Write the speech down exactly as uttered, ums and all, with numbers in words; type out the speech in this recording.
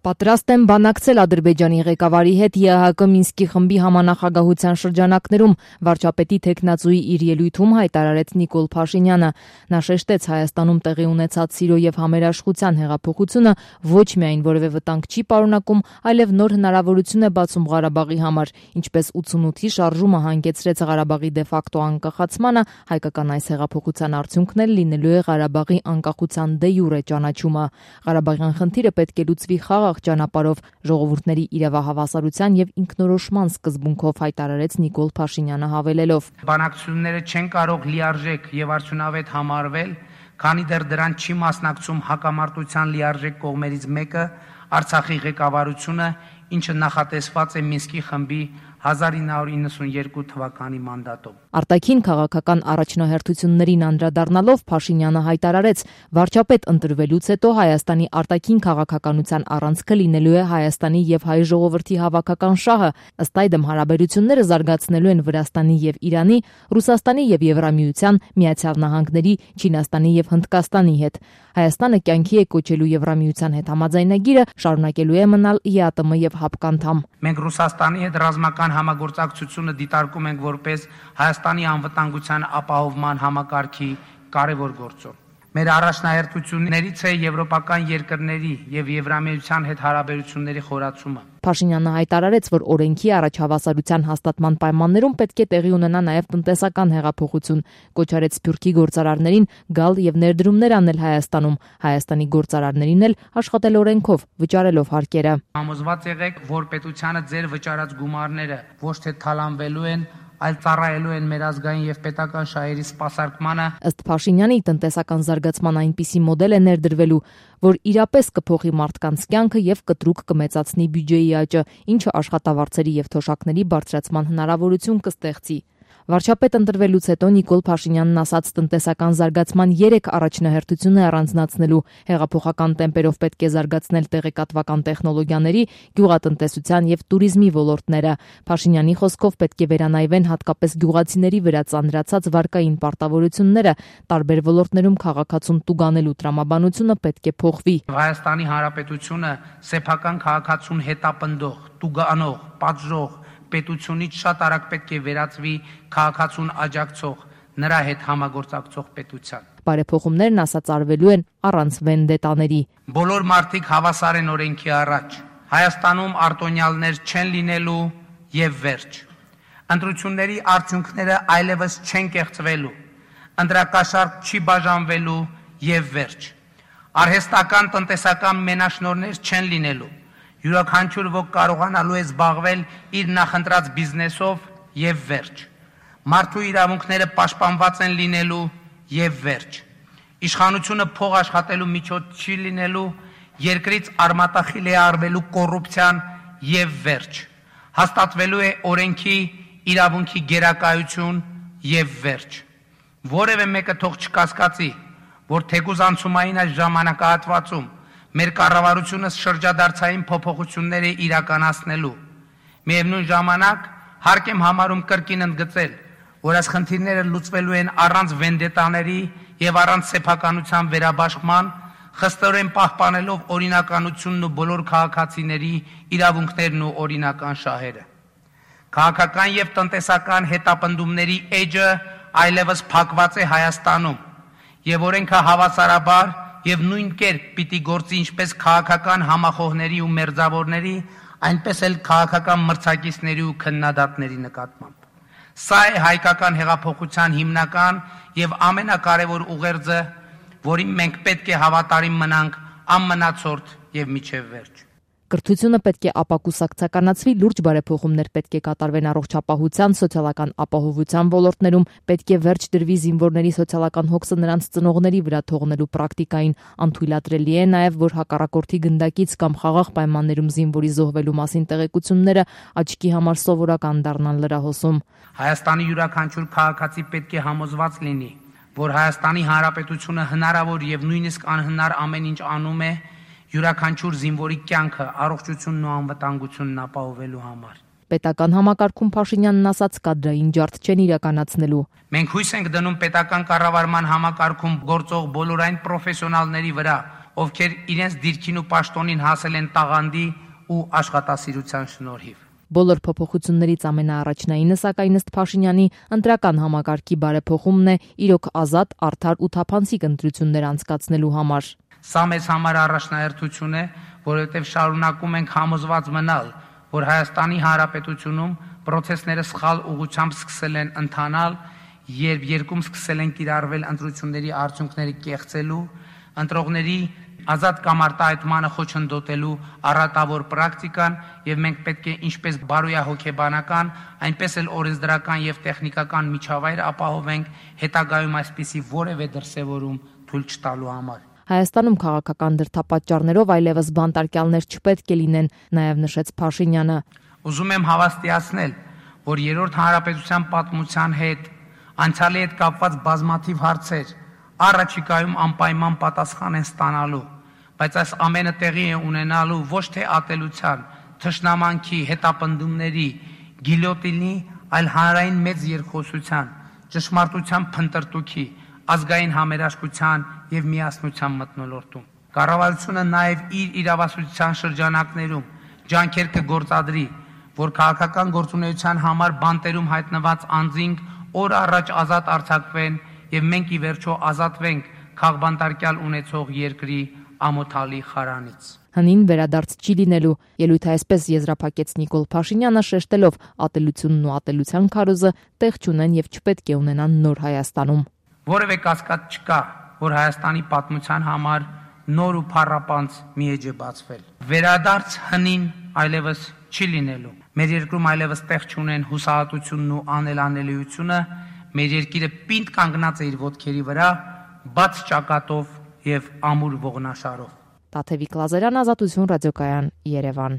Պատրաստ եմ բանակցել Ադրբեջանի ղեկավարի հետ ԵԱՀԿ Մինսկի խմբի համանախագահության շրջանակներում, վարչապետի թեկնածուի իր ելույթում հայտարարեց Նիկոլ Փաշինյանը։ Նա շեշտեց Հայաստանում տեղի ունեցած սիրո եւ համերաշխության հեղափոխությունը ոչ միայն որևէ վտանգ չի պարունակում, այլև նոր հնարավորություն է բացում Ղարաբաղի համար, ինչպես ութսունութի շարժումը հանգեցրեց Ղարաբաղի դեֆակտո անկախացմանը, հայկական այս հեղափոխության արդյունքն էլ լինելու է Ղարաբաղի անկախության դե յուրե ճանաչումը։ Ղարաբաղյան խնդիրը պետք է լուծվի խաղաղ ճանապարհով, ժողովուրդների իրավահավասարության եւ ինքնորոշման սկզբունքով, հայտարարեց Նիկոլ Փաշինյանը հավելելով. Բանակցությունները չեն կարող լիարժեք եւ արդյունավետ համարվել, քանի դեռ դրան չի մասնակցում հակամարտության լիարժեք կողմերից մեկը, Արցախի ղեկավարությունը, ինչը նախատեսված է Մինսկի խմբի հազար ինը հարյուր իննսունյերկու թվականի մանդատով։ Արտաքին քաղաքական առաջնահերթություններին անդրադառնալով Փաշինյանը հայտարարեց, վարչապետ ընտրվելուց հետո Հայաստանի արտաքին քաղաքականության առանցքը լինելու է Հայաստանի եւ հայ ժողովրդի հավաքական շահը, ըստ այդմ հարաբերությունները զարգացնելու են Վրաստանի եւ Իրանի, Ռուսաստանի եւ Եվրամիության, Միացյալ Նահանգների, Չինաստանի եւ Հնդկաստանի հետ։ Հայաստանը կյանքի է կոչելու Եվրամիության հետ համաձայնագիրը, շարունակելու է մնալ ԵԱՏՄ եւ ՀԱՊԿ-անդամ։ Մենք Ռուսաստանի հետ ռազմական համագործակցությունը դիտարկում ենք որպես Հայաստանի անվտանգության ապահովման համակարգի կարևոր գործոն։ Մեր առաջնահերթություններից է եվրոպական երկրների եւ Եվրամիության հետ հարաբերությունների խորացումը։ Փաշինյանը հայտարարեց, որ օրենքի առաջհավասարության հաստատման պայմաններում պետք է տեղի ունենա նաև տնտեսական հեղափոխություն, կոչ արեց Սփյուռքի գործարարներին գալ եւ ներդրումներ անել Հայաստանում, Հայաստանի գործարարներին էլ աշխատել օրենքով, վճարելով հարկերը։ Համոզված եղեք, որ պետությանը ձեր վճարած գումարները ոչ թե թալանվելու են, այլ ծառայելու են մեր ազգային եւ պետական շահերի սպասարկմանը։ Ըստ Փաշինյանի, տնտեսական զարգացման այնպիսի մոդել է ներդրվելու, որ իրապես կփոխի մարդկանց կյանքը եւ կտրուկ կմեծացնի բյուջեի աճը, ինչը աշխատավարձերի եւ թոշակների բարձրացման հնարավորություն կստեղծի։ Վարչապետ ընտրվելուց հետո Նիկոլ Փաշինյանն ասաց տնտեսական զարգացման երեք առաջնահերթություն է առանձնացնելու, հեղափոխական տեմպերով պետք է զարգացնել տեղեկատվական տեխնոլոգիաների, գյուղատնտեսության եւ туриզմի ոլորտները։ Փաշինյանի խոսքով պետք է վերանայվեն հատկապես գյուղացիների վրա ծանրացած վարկային պարտավորությունները, տարբեր ոլորտներում քաղաքացուն տուգանելու տրամաբանությունը պետք է փոխվի։ Հայաստանի Հանրապետությունը սեփական քաղաքացուն հետապնդող, տուգանող, պատժող պետությունից շատ արագ պետք է վերածվի քաղաքացուն աջակցող, նրա հետ համագործակցող պետության։ Բարեփոխումներն ասած արվելու են առանց վենդետաների։ Բոլոր մարդիկ հավասար են օրենքի առաջ։ Հայաստանում արտոնյալներ չեն լինելու եւ վերջ։ Ընտրությունների արդյունքները այլևս չեն կեղծվելու։ Ընտրակաշառք չի բաժանվելու եւ վերջ։ Արհեստական տնտեսական մենաշնորհներ չեն լինելու։ Յուրաքանչյուր ոք կարողանալու է զբաղվել իր նախընտրած բիզնեսով եւ վերջ։ Մարդու իրավունքները պաշտպանված են լինելու եւ վերջ։ Իշխանությունը փող աշխատելու միջոց չի լինելու, երկրից արմատախիլ է արվելու կոռուպցիան եւ վերջ։ Հաստատվելու է օրենքի իրավունքի գերակայություն եւ վերջ։ Որևէ մեկը թող չկասկածի, որ թեկուզ անցումային այս ժամանակահատվածում մեր կառավարությունը շրջադարձային փոփոխություններ է իրականացնելու։ Միևնույն ժամանակ հարկ եմ համարում կրկին ընդգծել, որ այս խնդիրները լուծվելու են առանց վենդետաների եւ առանց սեփականության վերաբաշխման, խստորեն պահպանելով օրինականությունն ու բոլոր քաղաքացիների իրավունքներն ու օրինական շահերը։ Քաղաքական եւ տնտեսական հետապնդումների էջը այլևս փակված է Հայաստանում, եւ օրենքը հավասարաբար եւ նույն կերպ պիտի գործի ինչպես քաղաքական համախոհների ու մերձավորների, այնպես էլ քաղաքական մրցակիցների ու քննադատների նկատմամբ։ Սա է հայկական հեղափոխության հիմնական եւ ամենակարևոր ուղերձը, որին մենք պետք է հավատարիմ մնանք անմնացորդ եւ միջև վերջ։ Կրթությունը պետք է ապակուսակցականացվի, լուրջ բարեփոխումներ պետք է կատարվեն առողջապահության, սոցիալական ապահովության ոլորտներում, պետք է վերջ դրվի զինվորների սոցիալական հոգսը նրանց ծնողների վրա թողնելու պրակտիկային, անթույլատրելի է նաև, որ հակառակորդի գնդակից կամ խաղաղ պայմաններում զինվորի զոհվելու մասին տեղեկությունները աչքի համար սովորական դառնան լրահոսում։ Հայաստանի յուրաքանչյուր քաղաքացի պետք է համոզված լինի, որ Հայաստանի Հանրապետությունը հնարավոր եւ նույնիսկ անհնար ամեն ինչ անում է յուրաքանչյուր զինվորի կյանքը, առողջությունն ու անվտանգությունն ապահովելու համար։ Պետական համակարգում Փաշինյանն ասաց կադրային ջարդ չեն իրականացնելու։ Մենք հույս ենք դնում պետական կառավարման համակարգում գործող բոլոր այն պրոֆեսիոնալների վրա, ովքեր իրենց դիրքին ու պաշտոնին հասել են տաղանդի ու աշխատասիրության շնորհիվ։ Բոլոր փոփոխություններից ամենաառաջնայինը, սակայն ըստ Փաշինյանի, ընտրական համակարգի բարեփոխումն է իրոք ազատ, արդար ու թափանցիկ ընտրություններ անցկացնելու համար։ Սա մեզ համար առաջնահերթություն է, որովհետև շարունակում ենք համոզված մնալ, որ Հայաստանի Հանրապետությունում պրոցեսները սխալ ուղղությամբ սկսել են ընթանալ, երբ երկում սկսել են կիրառվել ընտրությունների արդյունքները կեղծելու, ընտրողների ազատ կամ արտահայտմանը խոչընդոտելու առատավոր պրակտիկան, եւ մենք պետք է ինչպես բարոյահոգեբանական, այնպես էլ օրենսդրական եւ տեխնիկական միջավայր ապահովենք հետագայում այսպիսի որևէ դրսևորում թույլ չտալու համար։ Հայաստանում քաղաքական դրդապատճառներով այլևս բանտարկյալներ չպետք է լինեն, նաև նշեց Փաշինյանը։ Ուզում եմ հավաստիացնել, որ երրորդ հանրապետության պատմության հետ, անցյալի հետ կապված բազմաթիվ հարցեր առաջիկայում անպայման պատասխան են ստանալու, բայց այս ամենը տեղի է ունենալու ոչ թե ատելության, թշնամանքի, հետապնդումների, գիլյոտինի, այլ հանրային մեծ երկխոսության, ճշմարտության փնտրտուքի, ազգային համերաշխության եւ միասնության մթնոլորտում։ Կառավարությունը նաեւ իր իրավասության շրջանակներում ջանքեր կգործադրի, որ քաղաքական գործունեության համար բանտերում հայտնված անձինք օր առաջ ազատ արձակվեն եւ մենք ի վերջո ազատվենք քաղբանտարկյալ ունեցող երկրի ամոթալի խարանից։ Հնին վերադարձ չի լինելու, ելույթը այսպես եզրափակեց Նիկոլ Փաշինյանը, շեշտելով ատելությունն ու ատելության քարոզը տեղ չունեն եւ չպետք է ունենան նոր Հայաստանում։ Որևէ կասկած չկա, որ Հայաստանի պատմության համար նոր ու փառապանծ մի էջ է բացվել։ Վերադարձ հնին այլևս չի լինելու։ Մեր երկրում այլևս տեղ չունեն հուսահատությունն ու անելանելիությունը, մեր երկիրը պինդ կանգնած է իր ոտքերի վրա, բաց ճակատով եւ ամուր ողնաշարով։ Տաթևիկ Լազարյան, Ազատություն ռադիոկայան, Երևան։